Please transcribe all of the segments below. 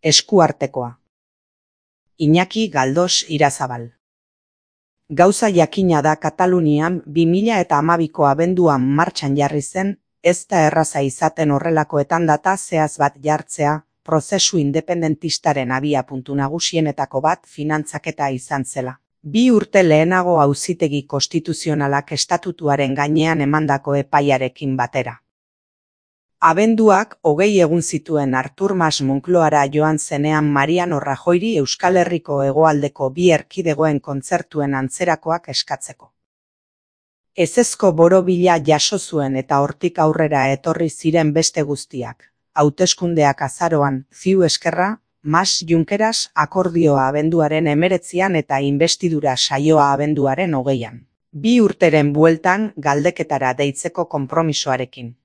Eskuartekoa. Iñaki Galdos Irazabal. Gauza jakina da Katalunian 2012ko abenduan martxan jarri zen, ez da erraza izaten horrelakoetan data zehaz bat jartzea, prozesu independentistaren abiapuntu nagusienetako bat finantzaketa izan zela. 2 urte lehenago Auzitegi Konstituzionalak estatutuaren gainean emandako epaiarekin batera. Abenduak 20 egun zituen Artur Mas Moncloara joan zenean Mariano Rajoyri Euskal Herriko hegoaldeko 2 erkidegoen kontzertuen antzerakoak eskatzeko. Ezezko borobila jaso zuen eta hortik aurrera etorri ziren beste guztiak. Hauteskundeak azaroan, CiU Esquerra, Mas Junqueras akordioa abenduaren 19an eta inbestidura saioa abenduaren 20an. 2 urteren bueltan galdeketara deitzeko konpromisoarekin.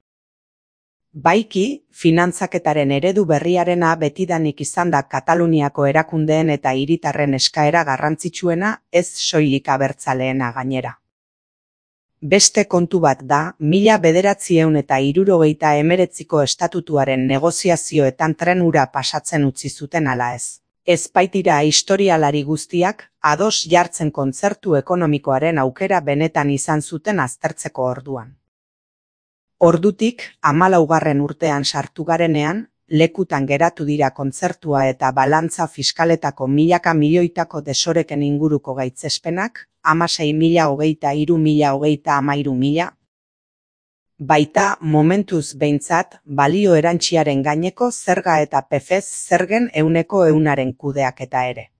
Baiki, finantzaketaren eredu berriarena betidanik izan da Kataluniako erakundeen eta hiritarren eskaera garrantzitsuena, ez soilik abertzaleena gainera. Beste kontu bat da, 1979ko estatutuaren negoziazioetan tren hura pasatzen utzi zuten ala ez. Ez baitira historialari guztiak, ados jartzen kontzertu ekonomikoaren aukera benetan izan zuten aztertzeko orduan. Ordutik, 14. urtean sartu garenean, lekutan geratu dira kontzertua eta balantza fiskaletako milaka milioitako desoreken inguruko gaitzespenak, 16.023.033.000. Baita, momentuz behintzat, balio erantsiaren gaineko zerga eta PFEZ zergen 100% kudeaketa ere.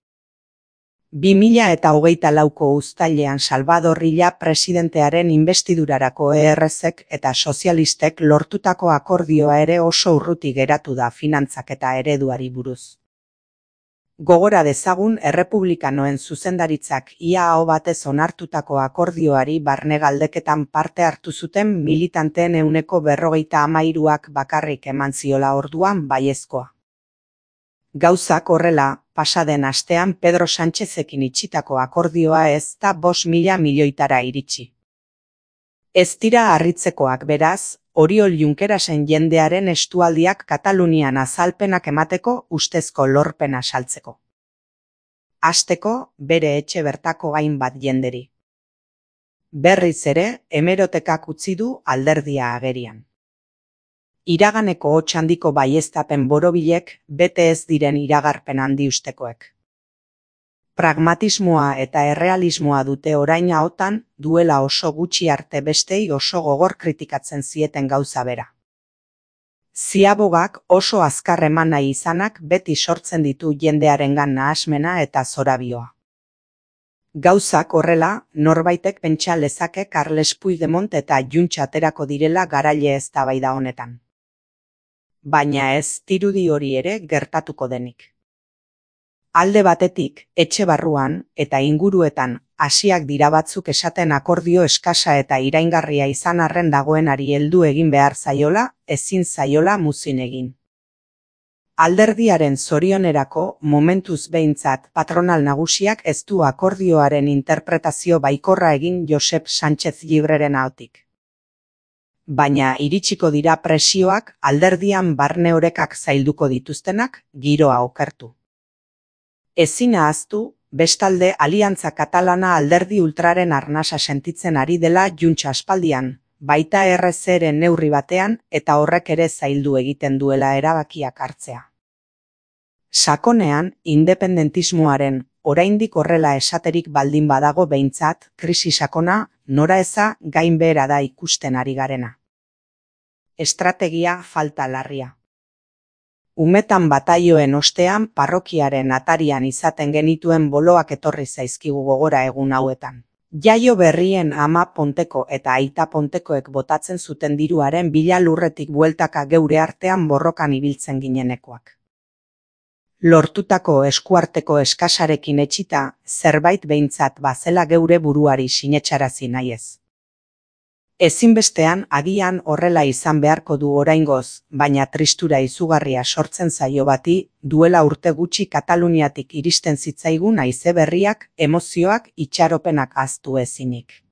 2024ko uztailean Salvador Illa presidentearen inbestidurarako ERZek eta sozialistek lortutako akordioa ere oso urruti geratu da finantzaketa ereduari buruz. Gogora dezagun errepublikanoen zuzendaritzak ia aho batez onartutako akordioari barne galdeketan parte hartu zuten militanteen 153ak bakarrik eman ziola orduan baiezkoa. Gauzak horrela, pasaden astean Pedro Sánchezekin itxitako akordioa ez da 5.000 milioitara iritsi. Ez dira harritzekoak beraz, Oriol Junquerasen jendearen estualdiak Katalunian azalpenak emateko ustezko lorpena saltzeko. Hasteko, bere etxe bertako hainbat jenderi. Berriz ere, hemerotekak utzi du alderdia agerian. Iraganeko hots handiko baieztapen borobilek bete ez diren iragarpen handi ustekoek. Pragmatismoa eta errealismoa dute orain ahotan, duela oso gutxi arte bestei oso gogor kritikatzen zieten gauza bera. Ziabogak oso azkar eman nahi izanak beti sortzen ditu jendearengan nahasmena eta zorabioa. Gauzak horrela, norbaitek pentsa lezake Carles Puigdemont eta Junts aterako direla garaile eztabaida honetan. Baina ez dirudi hori ere gertatuko denik. Alde batetik, etxe barruan eta inguruetan hasiak dira batzuk esaten akordio eskasa eta iraingarria izan arren dagoenari heldu egin behar zaiola, ezin zaiola muzin egin. Alderdiaren zorionerako momentuz behintzat patronal nagusiak ez du akordioaren interpretazio baikorra egin Josep Sánchez Llibreren ahotik. Baina iritsiko dira presioak alderdian barne orekak zailduko dituztenak giroa okertu. Ezin ahaztu, bestalde Aliantza Katalana alderdi ultraren arnasa sentitzen ari dela Junts aspaldian, baita ERZren neurri batean eta horrek ere zaildu egiten duela erabakiak hartzea. Sakonean, independentismoaren, oraindik horrela esaterik baldin badago behintzat, krisi sakona, nora eza gainbehera da ikusten ari garena. Estrategia falta larria. Umetan bataioen ostean parrokiaren atarian izaten genituen boloak etorri zaizkigu gogora egun hauetan. Jaio berrien ama Ponteko eta aita Pontekoek botatzen zuten diruaren bila lurretik bueltaka geure artean borrokan ibiltzen ginenekoak. Lortutako eskuarteko eskasarekin etxita, zerbait behintzat bazela geure buruari sinetxarazi nahiez. Ezinbestean agian horrela izan beharko du oraingoz, baina tristura izugarria sortzen zaio bati, duela urte gutxi Kataluniatik iristen zitzaigun haize berriak, emozioak, itxaropenak ahaztu ezinik.